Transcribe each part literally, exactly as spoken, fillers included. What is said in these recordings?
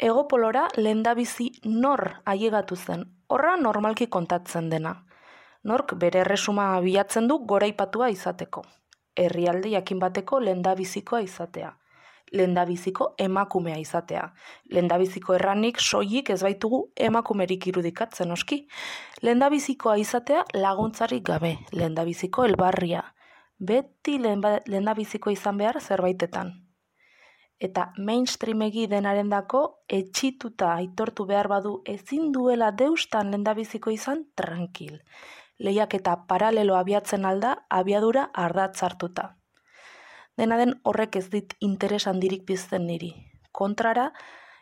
Egopolora lehendabizi nor ailegatu zen, horra normalki kontatzen dena. Nork bere erresuma bilatzen du goraipatua izateko. Herrialde jakin bateko lehendabizikoa izatea. Lehendabiziko emakumea izatea. Lehendabiziko erranik soilik ez baitugu emakumerik irudikatzen oski. Lehendabizikoa izatea laguntzarik gabe, lehendabiziko elbarria. Beti lehendabiziko izan behar zerbaitetan. Eta mainstreamegi denarendako etxituta aitortu behar badu ezin duela deustan lehendabiziko izan tranquil. Lehiak eta paralelo abiatzen alda abiadura ardatz hartuta. Dena den horrek ez dit interes handirik pizten niri. Kontrara,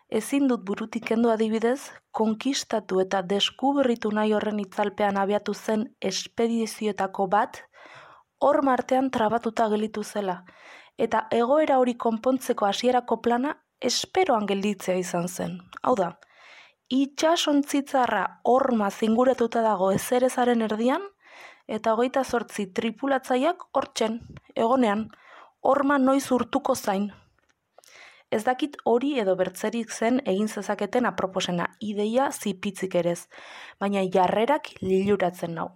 ezin dut burutik kendu adibidez, konkistatu eta deskuberritu nahi horren itzalpean abiatu zen espedizioetako bat, hor martean trabatuta gelitu zela, eta egoera hori konpontzeko hasierako plana esperoan gelditzea izan zen. Hau da, itxasontzitzarra horma zinguratuta dago ezerezaren erdian, eta hogeita zortzi tripulatzaileak hortzen, egonean, horma noiz urtuko zain. Ez dakit hori edo bertzerik zen egin zezaketen aproposena, ideia zipitzik erez, baina jarrerak liluratzen nau.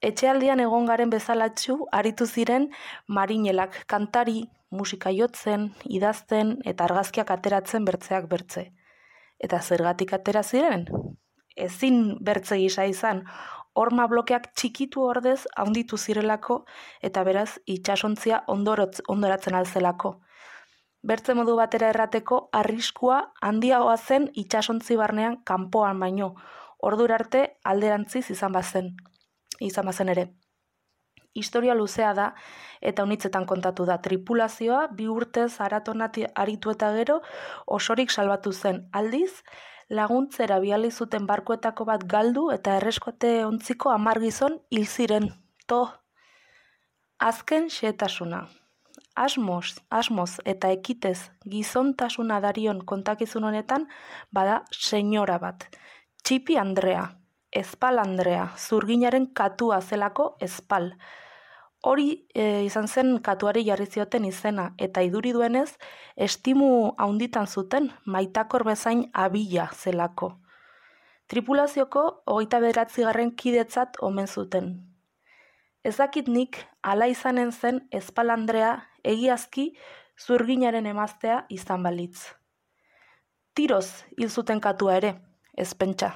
Etxealdian egon garen bezalatxu aritu ziren marinelak kantari, musika jotzen, idazten eta argazkiak ateratzen bertzeak bertze. Eta zergatik atera ziren? Ezin bertze gisa izan, horma blokeak txikitu ordez handitu zirelako eta beraz itsasontzia ondorotz, ondoratzen alzelako. Bertze modu batera errateko arriskua handiagoa zen itsasontzi barnean kanpoan baino, ordura arte alderantziz izan bazen. izan bazen ere. Historia luzea da eta unitzetan kontatu da. Tripulazioa bi urtez aratonati aritu eta gero osorik salbatu zen. Aldiz, laguntzera bidali zuten barkuetako bat galdu eta erreskote ontziko hamar gizon hil ziren. To. Azken xehetasuna. Asmoz, asmoz eta ekitez gizontasuna darion kontakizun honetan bada senyora bat. Txipi Andrea. Espal Andrea, zurginaren katua zelako espal. Hori e, izan zen katuari jarri zioten izena, eta iduri duenez, estimu haunditan zuten, maitakor bezain abila zelako. Tripulazioko hogeita bederatzigarren kidetzat omen zuten. Ez dakit nik hala izanen zen Espal Andrea egiazki zurginaren emaztea izan balitz. Tiroz hil zuten katua ere, ez pentsa.